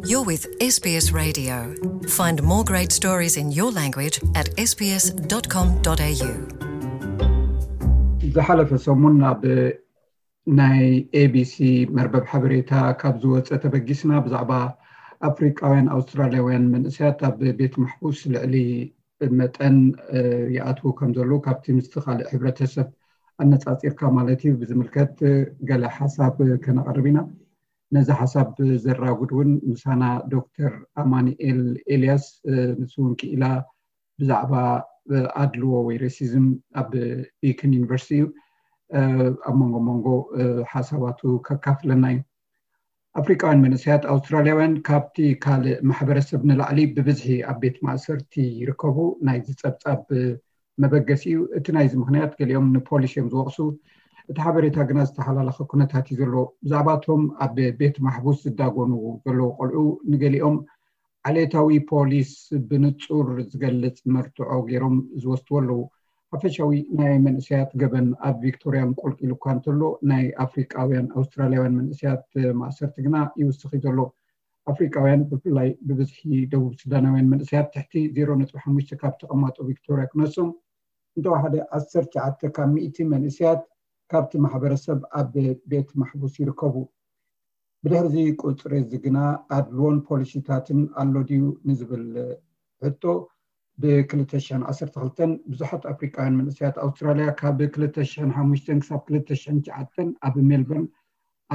You're with S B S Radio. Find more great stories in your language at S B S dot com dot A U. ዝሓለፈ ሰሙን ኣብ ናይ ኤቢሲ መርበብ ሓበሬታ ካብ ዝወፀ ተበጊስና፣ ብዛዕባ ኣፍሪቃውያን ኣውስትራልያውያን መንእሰያት ኣብ ቤት ማሕቡስ ልዕሊ መጠን ይኣትዉ ከም ዘለዉ፣ ካብቲ ምስቲ ካልእ ሕብረተሰብ ኣነፃፂርካ ማለት እዩ፣ ብዝምልከት ገለ ሓሳብ ከነቕርብ ኢና። ነዚ ሓሳብ ዘራጉድ እውን ምሳና ዶክተር ኣማኑኤል ኤልያስ፣ ንሱ እውን ክኢላ ብዛዕባ ኣድልዎ ወይ ሬሲዝም ኣብ ቢክን ዩኒቨርሲቲ እዩ። ኣብ መንጎ መንጎ ሓሳባቱ ከካፍለና እዩ። ኣፍሪቃውያን መንእሰያት ኣውስትራልያውያን ካብቲ ካልእ ማሕበረሰብ ንላዕሊ ብብዝሒ ኣብ ቤት ማእሰርቲ ይርከቡ። ናይዚ ጸብጻብ መበገሲ እዩ። እቲ ናይዚ ምኽንያት፣ ገሊኦም ንፖሊስ እዮም ዝወቕሱ። እቲ ሓበሬታ ግና ዝተሓላለኸ ኩነታት እዩ ዘለዎ። ብዛዕባቶም ኣብ ቤት ማሕቡስ ዝዳጎኑ ዘለዉ ቆልዑ፣ ንገሊኦም ዓሌታዊ ፖሊስ ብንጹር ዝገልጽ መርትዖ ገይሮም ዝወስድዎ ኣለዉ። ሓፈሻዊ ናይ መንእሰያት ገበን ኣብ ቪክቶርያ እንቆልቂሉ እኳ እንተሎ፣ ናይ ኣፍሪቃውያን ኣውስትራልያውያን መንእሰያት ማእሰርቲ ግና ይውስኽ እዩ ዘሎ። ኣፍሪቃውያን፣ ብፍላይ ብብዝሒ ደቡብ ሱዳናውያን መንእሰያት፣ ትሕቲ ዜሮ ነጥቢ ሓሙሽተ ካብ ተቐማጦ ቪክቶርያ ክነሶም፣ እንተወሓደ ዓሰርተ ትሽዓተ ካብ ሚእቲ መንእሰያት ካብቲ ማሕበረሰብ ኣብ ቤት ማሕቡስ ይርከቡ። ብድሕሪ እዚ ቁጽሪ እዚ ግና ኣድልዎን ፖሊሲታትን ኣሎ ድዩ ንዝብል ሕቶ፣ ብ ክልተ ሽሕን ዓሰርተ ክልተን ብዙሓት ኣፍሪቃውያን መንእሰያት ኣውስትራልያ ካብ ክልተ ሽሕን ሓሙሽተን ክሳብ ክልተ ሽሕን ትሽዓተን ኣብ ሜልበርን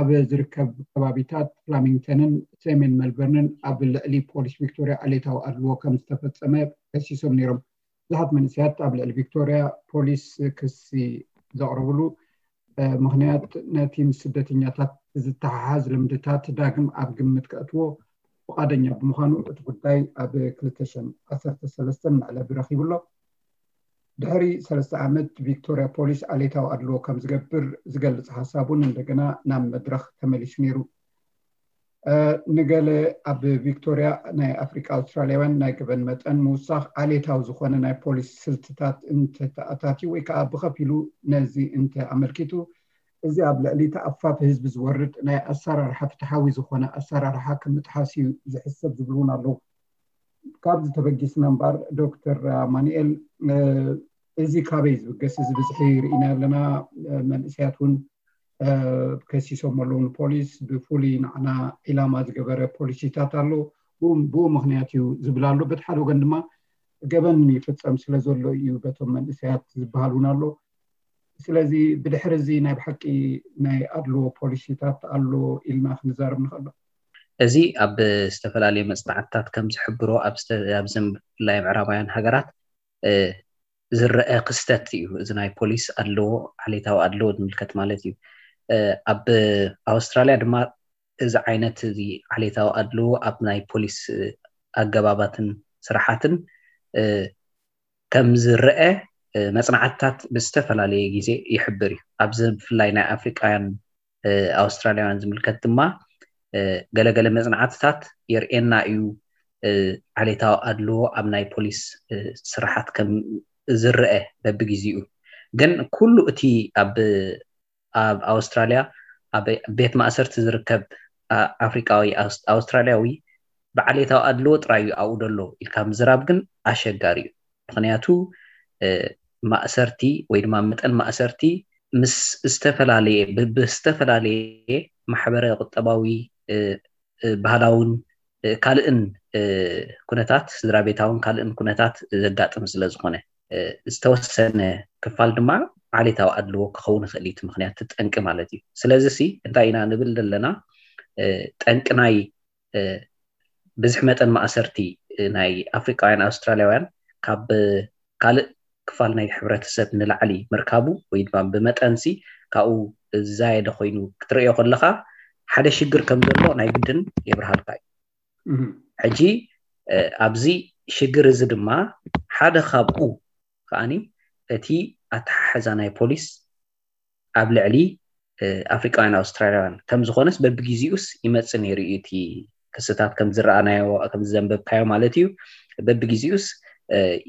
ኣብ ዝርከብ ከባቢታት ፍላሚንግተንን ሰሜን ሜልበርንን ኣብ ልዕሊ ፖሊስ ቪክቶርያ ዓሌታዊ ኣድልዎ ከም ዝተፈጸመ ከሲሶም ነይሮም። ብዙሓት መንእሰያት ኣብ ልዕሊ ቪክቶርያ ፖሊስ ክሲ ዘቕረብሉ ምኽንያት፣ ነቲ ምስ ስደተኛታት ዝተሓሓዝ ልምድታት ዳግም ኣብ ግምት ከእትዎ ፍቓደኛ ብምዃኑ፣ እቲ ጉዳይ ኣብ ክልተ ሽሕን ዓሰርተ ሰለስተን መዕለቢ ረኺቡ ኣሎ። ድሕሪ ሰለስተ ዓመት፣ ቪክቶርያ ፖሊስ ዓሌታዊ ኣድልዎ ከም ዝገብር ዝገልጽ ሓሳብ እውን እንደገና ናብ መድረኽ ተመሊሱ ነይሩ። ንገለ ኣብ ቪክቶርያ ናይ ኣፍሪቃ ኣውስትራልያውያን ናይ ገበን መጠን ምውሳኽ ዓሌታዊ ዝኾነ ናይ ፖሊስ ስልትታት እንተተኣታትዩ ወይ ከዓ ብኸፊሉ ነዚ እንተ ኣመልኪቱ፣ እዚ ኣብ ልዕሊ ተኣፋፊ ህዝቢ ዝወርድ ናይ ኣሰራርሓ ፍትሓዊ ዝኾነ ኣሰራርሓ ከም ምጥሓስ እዩ ዝሕሰብ ዝብሉ እውን ኣለዉ። ካብዚ ተበጊስና እምበኣር፣ ዶክተር ኣማኑኤል፣ እዚ ካበይ ዝብገስ? እዚ ብዝሒ ርኢና ኣለና። መንእሰያት እውን ከሲሶም ኣለዉ ንፖሊስ። ብፍሉይ ንዓና ዒላማ ዝገበረ ፖሊሲታት ኣሎ። ብኡ ምኽንያት እዩ ዝብል ኣሎ። በቲ ሓደ ወገን ድማ ገበን ይፍጸም ስለ ዘሎ እዩ በቶም መንእሰያት ዝበሃል እውን ኣሎ። ስለዚ ብድሕሪ እዚ ናይ ብሓቂ ናይ ኣድልዎ ፖሊሲታት ኣሎ ኢልና ክንዛረብ ንኽእል። እዚ ኣብ ዝተፈላለዩ መፅናዕትታት ከም ዝሕብሮ፣ ኣብዚ ብፍላይ ምዕራባውያን ሃገራት ዝረአ ክስተት እዩ። እዚ ናይ ፖሊስ ኣድልዎ፣ ዓሌታዊ ኣድልዎ ዝምልከት ማለት እዩ። ኣብ ኣውስትራልያ ድማ እዚ ዓይነት እዚ ዓሌታዊ ኣድልዎ ኣብ ናይ ፖሊስ ኣገባባትን ስራሓትን ከም ዝረአ መፅናዕትታት ብዝተፈላለየ ግዜ ይሕብር እዩ። ኣብዚ ብፍላይ ናይ ኣፍሪቃውያን ኣውስትራልያውያን ዝምልከት ድማ ገለገለ መፅናዕትታት የርእየና እዩ፣ ዓሌታዊ ኣድልዎ ኣብ ናይ ፖሊስ ስራሓት ከም ዝረአ በብግዜኡ። ግን ኩሉ እቲ ኣብ ኣብ ኣውስትራልያ ኣብ ቤት ማእሰርቲ ዝርከብ ኣፍሪቃዊ ኣውስትራልያዊ ብዓሌታዊ ኣድልዎ ጥራይ እዩ ኣብኡ ዘሎ ኢልካ ምዝራብ ግን ኣሸጋሪ እዩ። ምኽንያቱ ማእሰርቲ ወይ ድማ መጠን ማእሰርቲ ምስ ዝተፈላለየ ብዝተፈላለየ ማሕበረ ቁጠባዊ፣ ባህላውን ካልእን ኩነታት፣ ስድራ ቤታውን ካልእን ኩነታት ዘጋጥም ስለ ዝኾነ፣ ዝተወሰነ ክፋል ድማ ዓሌታዊ ኣድልዎ ክኸውን ይኽእል እዩ። እቲ ምኽንያት፣ እቲ ጠንቂ ማለት እዩ። ስለዚ ሲ እንታይ ኢና ንብል ዘለና? ጠንቂ ናይ ብዝሒ መጠን ማእሰርቲ ናይ ኣፍሪቃውያን ኣውስትራልያውያን ካብ ካልእ ክፋል ናይ ሕብረተሰብ ንላዕሊ ምርካቡ ወይ ድማ ብመጠንሲ ካብኡ ዝዛየደ ኮይኑ ክትርእዮ ከለኻ፣ ሓደ ሽግር ከም ዘሎ ናይ ግድን የብርሃልካ እዩ። ሕጂ ኣብዚ ሽግር እዚ ድማ ሓደ ካብኡ ከዓኒ እቲ ኣተሓሕዛ ናይ ፖሊስ ኣብ ልዕሊ ኣፍሪቃውያን ኣውስትራልያውያን ከም ዝኾነስ በብግዜኡስ ይመጽእ ነይሩ እዩ። እቲ ክስታት ከም ዝረኣናዮ፣ ከም ዘንበብካዮ ማለት እዩ፣ በብግዜኡስ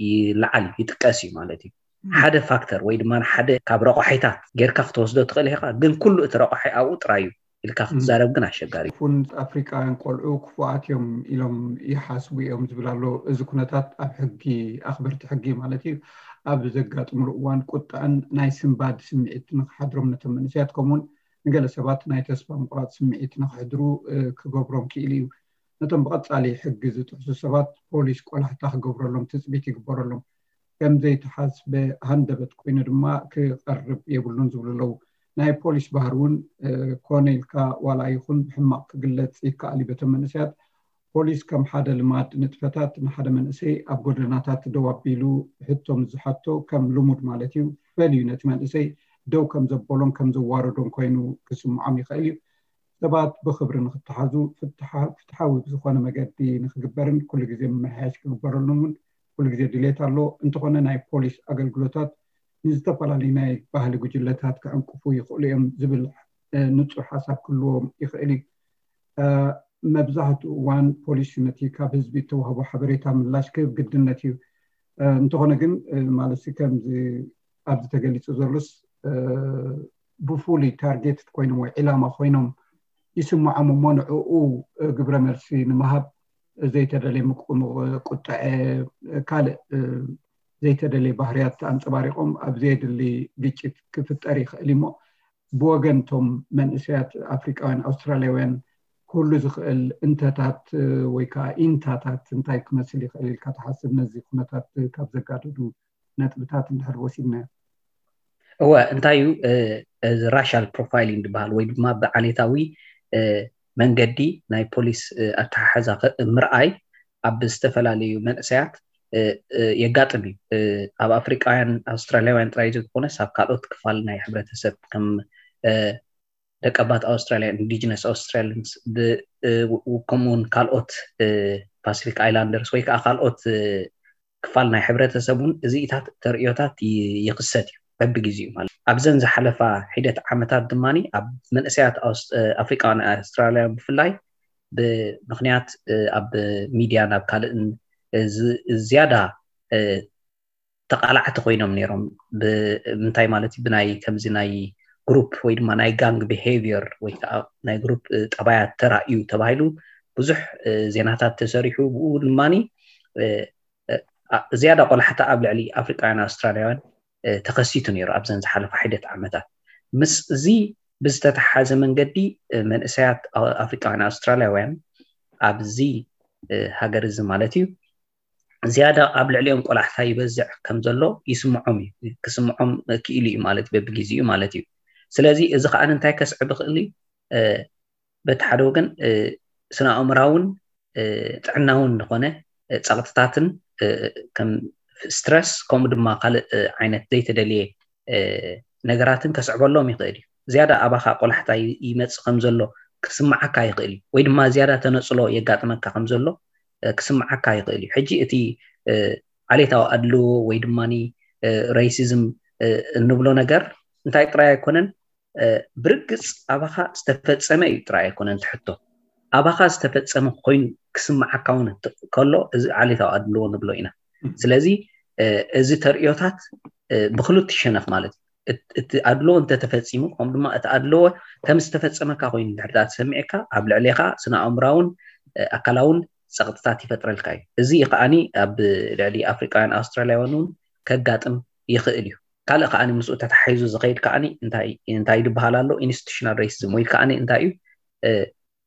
ይለዓል፣ ይጥቀስ እዩ ማለት እዩ። ሓደ ፋክተር ወይ ድማ ሓደ ካብ ረቋሒታት ጌርካ ክትወስዶ ትኽእል ኢኻ፣ ግን ኩሉ እቲ ረቋሒ ኣብኡ ጥራይ እዩ ኢልካ ክትዛረብ ግን ኣሸጋሪ። ፉን ኣፍሪቃውያን ቆልዑ ክፉኣት እዮም ኢሎም ይሓስቡ እዮም ዝብል ኣሎ። እዚ ኩነታት ኣብ ሕጊ፣ ኣኽበርቲ ሕጊ ማለት እዩ፣ ኣብ ዘጋጥምሉ እዋን ቁጣን ናይ ስንባድ ስምዒት ንክሓድሮም ነቶም መንእሰያት፣ ከምኡውን ንገለ ሰባት ናይ ተስፋ ምቁራፅ ስምዒት ንክሕድሩ ክገብሮም ክኢሉ እዩ። ነቶም ብቐፃሊ ሕጊ ዝጥሕሱ ሰባት ፖሊስ ቆላሕታ ክገብረሎም ትፅቢት ይግበረሎም። ከም ዘይተሓስበ ሃንደበት ኮይኑ ድማ ክቐርብ የብሉን ዝብሉ ኣለዉ። ናይ ፖሊስ ባህሪ እውን ኮነ ኢልካ ዋላ ይኹን ብሕማቕ ክግለፅ ይከኣል እዩ። በቶም መንእሰያት ፖሊስ ከም ሓደ ልማድ ንጥፈታት ንሓደ መንእሰይ ኣብ ጎደናታት ደው ኣቢሉ ሕቶ ምስ ዝሓቶ ከም ልሙድ ማለት እዩ ፈልዩ ነቲ መንእሰይ ደው ከም ዘበሎን ከም ዘዋረዶን ኮይኑ ክስምዖም ይኽእል እዩ። ሰባት ብኽብሪ ንክተሓዙ ፍትሓዊ ብዝኾነ መገዲ ንክግበርን ኩሉ ግዜ ምምሕያሽ ክግበረሉን እውን ኩሉ ግዜ ድሌት ኣሎ። እንተኾነ ናይ ፖሊስ ኣገልግሎታት ንዝተፈላለዩ ናይ ባህሊ ጉጅለታት ክዕንቅፉ ይኽእሉ እዮም ዝብል ንፁር ሓሳብ ክህልዎም ይኽእል እዩ። መብዛሕትኡ እዋን ፖሊስ ነቲ ካብ ህዝቢ እተዋህቦ ሓበሬታ ምላሽ ክህብ ግድነት እዩ። እንተኾነ ግን ማለት ከምዚ ኣብዚ ተገሊፁ ዘሎስ ብፉሉይ ታርጌት ኮይኖም ወይ ዒላማ ኮይኖም ይስምዖም እሞ ንዕኡ ግብረ መልሲ ንምሃብ ዘይተደለየ ምቁጥዐ ካልእ ዘይተደለየ ባህርያት ኣንፀባሪቆም ኣብ ዘየድሊ ግጭት ክፍጠር ይኽእል እሞ ብወገን እቶም መንእሰያት ኣፍሪቃውያን ኣውስትራልያውያን ክህሉ ዝኽእል እንተታት ወይ ከዓ ኢንታታት እንታይ ክመስል ይኽእል ኢልካ ትሓስብ? ነዚ ኩነታት ካብ ዘጋደዱ ነጥብታት እንድሕር ወሲድናዮ። እወ እንታይ እዩ እዚ ራሻል ፕሮፋይሊንግ ዝበሃል ወይ ድማ ብዓሌታዊ መንገዲ ናይ ፖሊስ ኣተሓሕዛ ምርኣይ ኣብ ዝተፈላለዩ መንእሰያት የጋጥም እዩ። ኣብ ኣፍሪቃውያን ኣውስትራልያውያን ጥራይ ዘይኮነስ ኣብ ካልኦት ክፋል ናይ ሕብረተሰብ ከም ደቀባት ኣውስትራልያ ኢንዲጅነስ ኣውስትራሊንስ ከምኡውን ካልኦት ፓሲፊክ ኣይላንደርስ ወይ ከዓ ካልኦት ክፋል ናይ ሕብረተሰብ እውን እዚኢታት ተርእዮታት ይኽሰት እዩ በብግዜኡ ማለት ኣብዘን ዝሓለፋ ሒደት ዓመታት ድማ ኣብ መንእሰያት ኣፍሪቃውያን ኣውስትራልያ ብፍላይ ብምክንያት ኣብ ሚድያ ናብ ካልእን ዝያዳ ተቃላዕቲ ኮይኖም ነይሮም ብምንታይ ማለት ብናይ ከምዚ ናይ ግሩፕ ወይ ድማ ናይ ጋንግ ቢሄቪየር ወይ ከዓ ናይ ግሩፕ ጠባያት ተራእዩ ተባሂሉ ብዙሕ ዜናታት ተሰሪሑ ብኡ ድማ ዝያዳ ቆላሕታ ኣብ ልዕሊ ኣፍሪቃውያን ኣውስትራልያውያን ተኸሲቱ ነይሩ ኣብዘን ዝሓለፋ ሒደት ዓመታት ምስ እዚ ብዝተተሓዘ መንገዲ መንእሰያት ኣፍሪቃውያን ኣውስትራልያውያን ኣብዚ ሃገር እዚ ማለት እዩ ዝያዳ ኣብ ልዕሊኦም ቆላሕታ ይበዝዕ ከም ዘሎ ይስምዖም እዩ ክስምዖም ክኢሉ እዩ ማለት በብግዜኡ ማለት እዩ ስለዚ እዚ ከዓ እንታይ ከስዕብ ይኽእል እዩ በቲ ሓደ ወገን ስነ ኣእምራውን ጥዕናውን ዝኾነ ፀቕጥታትን ከም ስትረስ ከምኡ ድማ ካልእ ዓይነት ዘይተደልየ ነገራትን ከስዕበሎም ይኽእል እዩ ዝያዳ ኣባኻ ቆላሕታ ይመፅእ ከም ዘሎ ክስምዓካ ይኽእል እዩ ወይ ድማ ዝያዳ ተነፅሎ የጋጥመካ ከም ዘሎ ክስምዓካ ይኽእል እዩ ሕጂ እቲ ዓሌታዊ ኣድልዎ ወይ ድማ ሬሲዝም እንብሎ ነገር እንታይ ጥራይ ኣይኮነን ብርግፅ ኣባኻ ዝተፈፀመ እዩ ጥራይ ኣይኮነን ትሕቶ ኣባኻ ዝተፈፀመ ኮይኑ ክስምዓካ እውን ከሎ እዚ ዓሌታዊ ኣድልዎ ንብሎ ኢና ስለዚ እዚ ተርእዮታት ብክልቲ ሸነኽ ማለት እዩ እቲ ኣድልዎ እንተተፈፂሙ ከም ድማ እቲ ኣድልዎ ከም ዝተፈፀመካ ኮይኑ ድሕርዳ ተሰሚዕካ ኣብ ልዕሌካ ስነ ኣእምራውን ኣካላውን ፀቕጥታት ይፈጥረልካ እዩ እዚ ከዓኒ ኣብ ልዕሊ ኣፍሪቃውያን ኣውስትራልያውያን እውን ከጋጥም ይኽእል እዩ ካልእ ከዓኒ ምስኡ ተታሒዙ ዝኸይድ ከዓኒ እንታይ ዝበሃል ኣሎ ኢንስቲቱሽናል ሬሲዝም ወይ ከዓኒ እንታይ እዩ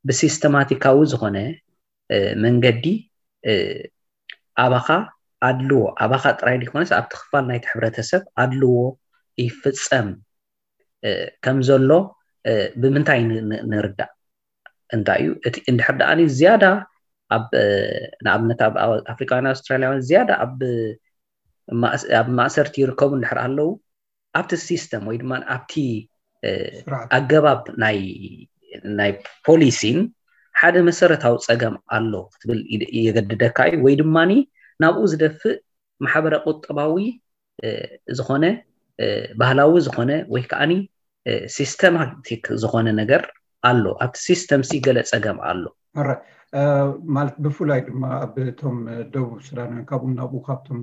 ብሲስተማቲካዊ ዝኾነ መንገዲ ኣባኻ ኣድልዎ ኣባኻ ጥራይ ዘይኮነስ ኣብቲ ክፋል ናይቲ ሕብረተሰብ ኣድልዎ ይፍፀም ከም ዘሎ ብምንታይ ንርዳእ እንታይ እዩ እቲ እንድሕር ደኣ ዝያዳ ኣብ ንኣብነት ኣብ ኣፍሪካውያን ኣውስትራልያውያን ዝያዳ ኣብ ኣብ ማእሰርቲ ይርከቡ እንድሕር ኣለዉ ኣብቲ ሲስተም ወይ ድማ ኣብቲ ኣገባብ ናይ ናይ ፖሊሲን ሓደ መሰረታዊ ፀገም ኣሎ ክትብል የገድደካ እዩ ወይ ድማ ናብኡ ዝደፍእ ማሕበረ ቁጠባዊ ዝኾነ ባህላዊ ዝኾነ ወይ ከዓኒ ሲስተማቲክ ዝኾነ ነገር ኣሎ ኣብቲ ሲስተም ሲ ገለ ፀገም ኣሎ ማለት ብፍላይ ድማ ኣብ እቶም ደቡብ ሱዳናውያን ካብኡ ናብኡ ካብቶም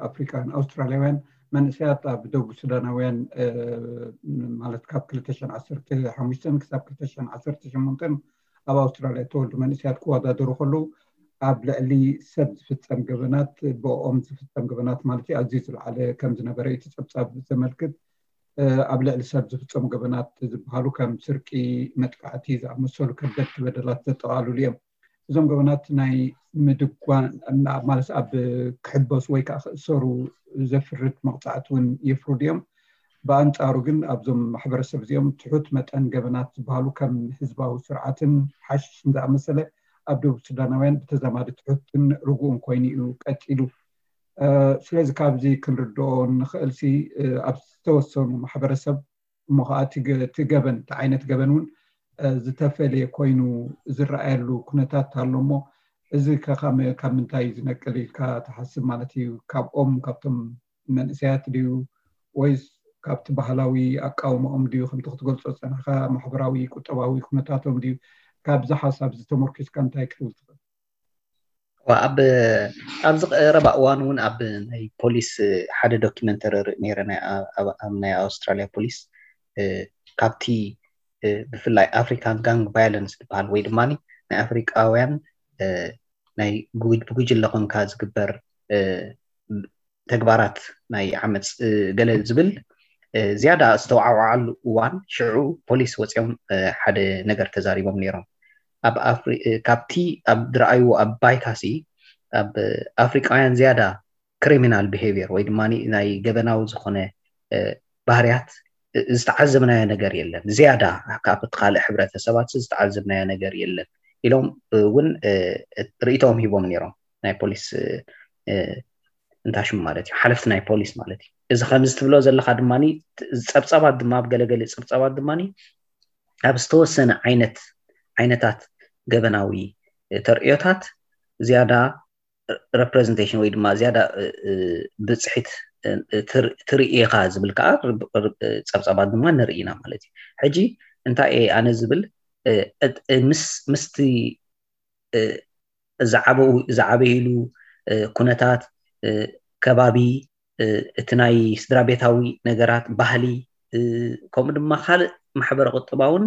ኣፍሪካውያን ኣውስትራልያውያን መንእሰያት ኣብ ደቡብ ሱዳናውያን ማለት ካብ ክልተ ሽሕን ዓሰርተ ሓሙሽተን ክሳብ ክልተ ሽሕን ዓሰርተ ሸሞንተን ኣብ ኣውስትራልያ እተወልዱ መንእሰያት ክወዳደሩ ከለዉ ኣብ ልዕሊ ሰብ ዝፍጸም ገበናት፣ ብኦም ዝፍጸም ገበናት ማለት እዩ፣ ኣዝዩ ዝለዓለ ከም ዝነበረ እቲ ጸብጻብ ዘመልክት። ኣብ ልዕሊ ሰብ ዝፍጸሙ ገበናት ዝበሃሉ ከም ስርቂ፣ መጥቃዕቲ ዝኣመሰሉ ከበድቲ በደላት ዘጠቓልሉ እዮም። እዞም ገበናት ናይ ምድጓን ማለት ኣብ ክሕበሱ ወይ ከዓ ክእሰሩ ዘፍርድ መቕፃዕቲ እውን የፍርዱ እዮም። ብኣንፃሩ ግን ኣብዞም ማሕበረሰብ እዚኦም ትሑት መጠን ገበናት ዝበሃሉ ከም ህዝባዊ ስርዓትን ሓሽሽን ዝኣመሰለ ኣብ ደቡብ ሱዳናውያን ብተዛማዲ ትሑትን ርጉእን ኮይኑ እዩ ቀፂሉ። ስለዚ ካብዚ ክንርድኦ ንኽእል ሲ ኣብ ዝተወሰኑ ማሕበረሰብ እሞ ከዓ እቲ ገበን እቲ ዓይነት ገበን እውን ዝተፈለየ ኮይኑ ዝረኣየሉ ኩነታት ኣሎ እሞ እዚ ካብ ምንታይ ዝነቅል ኢልካ ትሓስብ ማለት እዩ? ካብኦም ካብቶም መንእሰያት ድዩ ወይስ ካብቲ ባህላዊ ኣቃውማኦም ድዩ ከምቲ ክትገልፆ ዝፀናሕካ ማሕበራዊ ቁጠባዊ ኩነታቶም ድዩ? ካብዚ ሓሳብ ዝተመርኪስካ እንታይ ክትብል ትኽእል? ኣብ ኣብዚ ቀረባ እዋን እውን ኣብ ናይ ፖሊስ ሓደ ዶኪመንተሪ ርኢ ነይረ ኣብ ናይ ኣውስትራሊያ ፖሊስ ካብቲ ብፍላይ ኣፍሪካን ጋንግ ቫይለንስ ዝበሃል ወይ ድማ ናይ ኣፍሪቃውያን ናይ ብጉጅለ ኮንካ ዝግበር ተግባራት ናይ ዓመፅ ገለ ዝብል ዝያዳ ዝተወዓወዓሉ እዋን ሽዑ ፖሊስ ወፂኦም ሓደ ነገር ተዛሪቦም ነይሮም። ኣብ ካብቲ ኣብ ዝረኣይዎ ኣብ ባይታሲ ኣብ ኣፍሪቃውያን ዝያዳ ክሪሚናል ቢሄቪየር ወይ ድማ ናይ ገበናዊ ዝኾነ ባህርያት ዝተዓዘብናዮ ነገር የለን። ዝያዳ ካብ ካልእ ሕብረተሰባት ዝተዓዘብናዮ ነገር የለን ኢሎም እውን ርእይቶም ሂቦም ነይሮም ናይ ፖሊስ እንታሽሙ ማለት እዩ ሓለፍቲ ናይ ፖሊስ ማለት እዩ። እዚ ከምዚ ትብሎ ዘለካ ድማ ጸብጸባት ድማ ኣብ ገለገለ ጸብጸባት ድማ ኣብ ዝተወሰነ ዓይነት ዓይነታት ገበናዊ ተርእዮታት ዝያዳ representation ወይ ድማ ዝያዳ ብፅሒት ትርኢ ኢኻ ዝብል ከዓ ፀብፀባት ድማ ንርኢ ኢና ማለት እዩ። ሕጂ እንታይ እየ ኣነ ዝብል ምስቲ ዝዓበይሉ ኩነታት ከባቢ እቲ ናይ ስድራ ቤታዊ ነገራት ባህሊ ከምኡ ድማ ካልእ ማሕበረ ቁጠባውን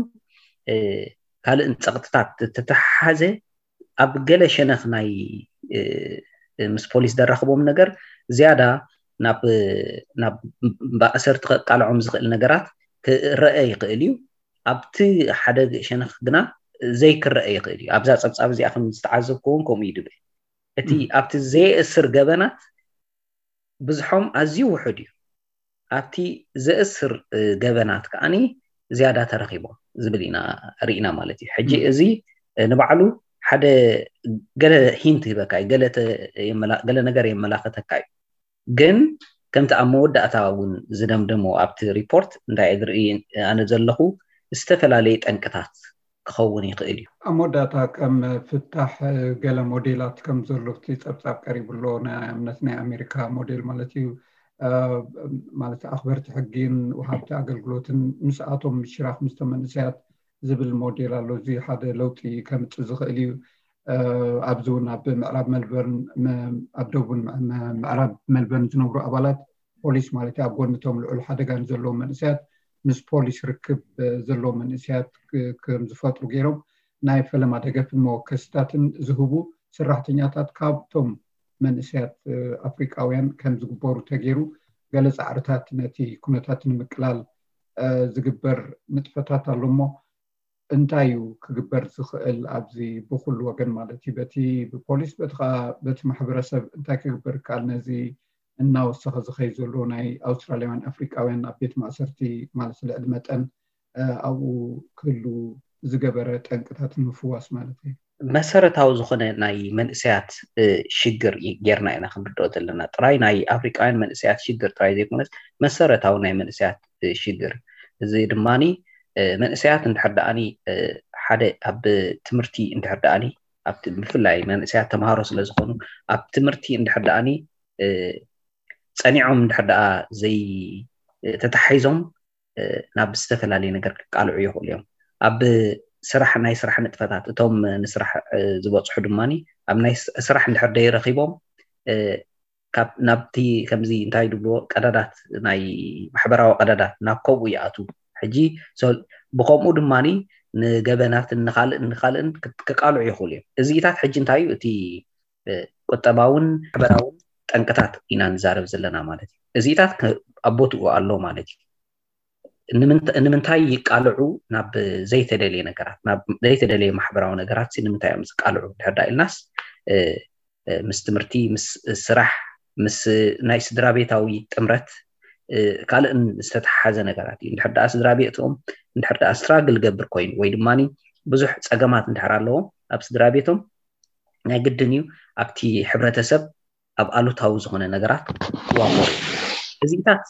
ካልእን ፀቕጥታት ተተሓሓዘ ኣብ ገለ ሸነኽ ናይ ምስ ፖሊስ ዘራኽቦም ነገር ዝያዳ ናብ ማእሰርቲ ከቃልዖም ዝኽእል ነገራት ክረአ ይኽእል እዩ። ኣብቲ ሓደ ሸነኽ ግና ዘይክረአ ይኽእል እዩ። ኣብዛ ፀብፃብ እዚኣ ከም ዝተዓዘብክዎ እውን ከምኡ እዩ ዝብል። እቲ ኣብቲ ዘየእስር ገበናት ብዝሖም ኣዝዩ ውሑድ እዩ። ኣብቲ ዘእስር ገበናት ከዓኒ ዝያዳ ተረኺቦም ዝብል ኢና ርኢና ማለት እዩ። ሕጂ እዚ ንባዕሉ ሓደ ገለ ሂንት ይህበካ እዩ፣ ገለ ነገር የመላኽተካ እዩ። ግን ከምቲ ኣብ መወዳእታ እውን ዝደምደሞ ኣብቲ ሪፖርት እንታይ ዝርኢ ኣነ ዘለኹ ዝተፈላለየ ጠንቅታት ክኸውን ይኽእል እዩ። ኣብ መወዳእታ ከም ፍታሕ ገለ ሞዴላት ከም ዘሎ እቲ ጸብጻብ ቀሪቡ ኣሎ። ንኣብነት ናይ ኣሜሪካ ሞዴል ማለት እዩ። ማለት ኣኽበርቲ ሕጊን ወሃብቲ ኣገልግሎትን ምስኣቶም ምሽራኽ ምስቶም መንእሰያት ዝብል ሞዴል ኣሎ። እዚ ሓደ ለውጢ ከምጽእ ዝኽእል እዩ። ኣብዚ እውን ኣብ ምዕራብ መልበርን ኣብ ደቡብን ምዕራብ መልበርን ዝነብሩ ኣባላት ፖሊስ ማለት ኣብ ጎንቶም ልዑል ሓደጋ ንዘለዎም መንእሰያት ምስ ፖሊስ ርክብ ዘለዎም መንእሰያት ከም ዝፈጥሩ ገይሮም ናይ ፈለማ ደገፍን መወከስታትን ዝህቡ ሰራሕተኛታት ካብቶም መንእሰያት ኣፍሪቃውያን ከም ዝግበሩ ተገይሩ ገለ ጻዕርታት ነቲ ኩነታት ንምቅላል ዝግበር ንጥፈታት ኣሎ እሞ እንታይ እዩ ክግበር ዝኽእል ኣብዚ ብኩሉ ወገን ማለት እዩ በቲ ብፖሊስ በቲ ከዓ በቲ ማሕበረሰብ እንታይ ክግበር ይከኣል ነዚ እናወሰኸ ዝኸይ ዘሎ ናይ ኣውስትራልያውያን ኣፍሪቃውያን ኣብ ቤት ማእሰርቲ ማለት ልዕሊ መጠን ኣብኡ ክህሉ ዝገበረ ጠንቅታት ንምፍዋስ ማለት እዩ። መሰረታዊ ዝኾነ ናይ መንእሰያት ሽግር ጌርና ኢና ክንርድኦ ዘለና። ጥራይ ናይ ኣፍሪቃውያን መንእሰያት ሽግር ጥራይ ዘይኮነስ መሰረታዊ ናይ መንእሰያት ሽግር እዚ ድማኒ መንእሰያት እንድሕር ደኣኒ ሓደ ኣብ ትምህርቲ እንድሕር ደኣኒ ብፍላይ መንእሰያት ተምሃሮ ስለ ዝኾኑ ኣብ ትምህርቲ እንድሕር ደኣኒ ፀኒዖም እንድሕር ደኣ ዘይተታሒዞም ናብ ዝተፈላለየ ነገር ክቃልዑ ይኽእሉ እዮም። ኣብ ስራሕ ናይ ስራሕ ንጥፈታት እቶም ንስራሕ ዝበፅሑ ድማ ኣብ ናይ ስራሕ እንድሕር ደይረኪቦም ናብቲ ከምዚ እንታይ ድብልዎ ቀዳዳት ናይ ማሕበራዊ ቀዳዳት ናብ ከምኡ ይኣቱ። ሕጂ ብከምኡ ድማ ንገበናትን ንካልእን ንካልእን ክቃልዑ ይኽእሉ እዮም። እዚኢታት ሕጂ እንታይ እዩ እቲ ቁጠባውን ማሕበራውን ጠንቅታት ኢና ንዛረብ ዘለና ማለት እዩ። እዚኢታት ኣብ ቦትኡ ኣሎ ማለት እዩ። ንምንታይ ይቃልዑ? ናብ ዘይተደልየ ነገራት ናብ ዘይተደልየ ማሕበራዊ ነገራት ንምንታይ እዮም ዝቃልዑ ድሕር ዳ ኢልናስ ምስ ትምህርቲ፣ ምስ ስራሕ፣ ምስ ናይ ስድራ ቤታዊ ጥምረት ካልእን ዝተተሓሓዘ ነገራት እዩ። እንድሕር ደኣ ስድራ ቤቶም እንድሕር ደኣ ስትራግል ገብር ኮይኑ ወይ ድማ ብዙሕ ፀገማት እንድሕር ኣለዎም ኣብ ስድራ ቤቶም ናይ ግድን እዩ ኣብቲ ሕብረተሰብ ኣብ ኣሉታዊ ዝኾነ ነገራት ክዋፈሩ። እዚታት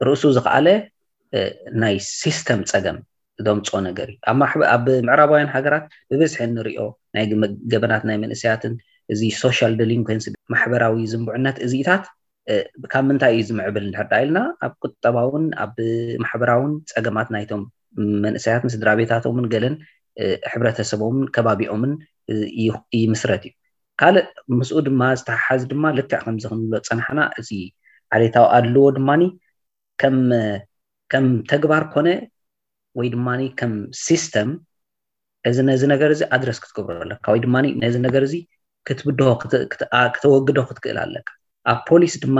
ርእሱ ዝኸኣለ ናይ ሲስተም ፀገም ዘምፅኦ ነገር እዩ። ኣብ ምዕራባውያን ሃገራት ብብዝሒ እንሪኦ ናይ ገበናት ናይ መንእሰያትን እዚ ሶሻል ደሊንኮንሲ ማሕበራዊ ዝንቡዕነት እዚኢታት ካብ ምንታይ እዩ ዝምዕብል እንድሕር ዳ ኢልና ኣብ ቁጠባውን ኣብ ማሕበራውን ፀገማት ናይቶም መንእሰያትን ስድራ ቤታቶምን ገለን ሕብረተሰቦምን ከባቢኦምን ይምስረት እዩ። ካልእ ምስኡ ድማ ዝተሓሓዝ ድማ ልክዕ ከምዚ ክንብሎ ፀናሕና እዚ ዓሌታዊ ኣድልዎ ድማ ከም ከም ተግባር ኮነ ወይ ድማ ከም ሲስተም እዚ ነዚ ነገር እዚ ኣድረስ ክትገብሮ ኣለካ ወይ ድማ ነዚ ነገር እዚ ክትብድሆ ክተ- ክተ- ኣ- ክተወግዶ ክትክእል ኣለካ። ኣብ ፖሊስ ድማ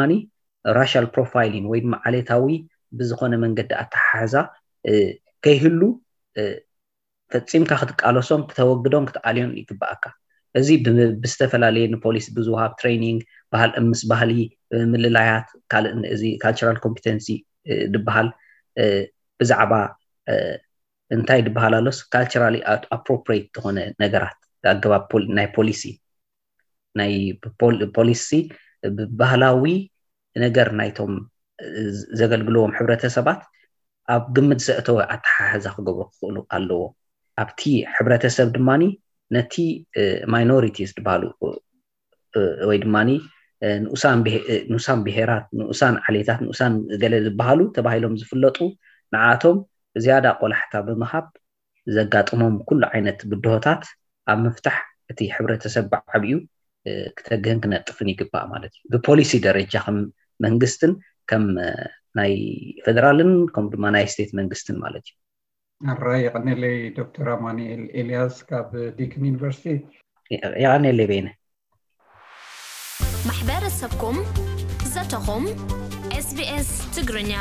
ራሻል ፕሮፋይሊን ወይ ድማ ዓሌታዊ ብዝኾነ መንገዲ ኣተሓሕዛ እ፣ ከይህሉ እ፣ ፈፂምካ ክትቃለሶን ክተወግዶን ክትኣልዮን ይግባኣካ። እዚ ብ- ብዝተፈላለየ ንፖሊስ ብዝወሃብ ትሬኒንግ ባህል ምስ ባህሊ እ፣ ምልላያት ካልእ እዚ ካልቸራል ኮምፒተንሲ እ፣ ዝበሃል እ፣ ብዛዕባ እ፣ እንታይ ዝበሃል ኣሎስ ካልቸራሊ ኣፕሮፕሬት ዝኾነ ነገራት ኣገባብ ፖሊ- ናይ ፖሊሲ ናይ ፖል- ፖሊሲ ብባህላዊ ነገር ናይቶም ዘገልግልዎም ሕብረተሰባት ኣብ ግምት ዘእተወ ኣተሓሕዛ ክገብሩ ክኽእሉ ኣለዎ። ኣብቲ ሕብረተሰብ ድማ ነቲ ማይኖሪቲስ ዝበሃሉ እ፣ ወይ ድማ ንኡሳን ብሄ- እ፣ ንኡሳን ብሄራት፣ ንኡሳን ዓሌታት፣ ንኡሳን ገለ ዝበሃሉ ተባሂሎም ዝፍለጡ ንዓቶም ዝያዳ ቆላሕታ ብምሃብ ዘጋጥሞም ኩሉ ዓይነት ብድሆታት ኣብ ምፍታሕ እቲ ሕብረተሰብ ብዓብዩ እ፣ ክተግህን ክነጥፍን ይግባእ ማለት እዩ። ብፖሊሲ ደረጃ ከም መንግስትን ከም እ፣ ናይ ፌደራልን ከም ድማ ናይ ስቴት መንግስትን ማለት እዩ። ኣራይ የቐኔለይ ዶክተር ኣማኑኤል ኤልያስ ካብ ዲክን ዩኒቨርሲቲ። የቐኔለይ በይነ። ማሕበረሰብኩም ዘተኹም ኤስቢኤስ ትግርኛ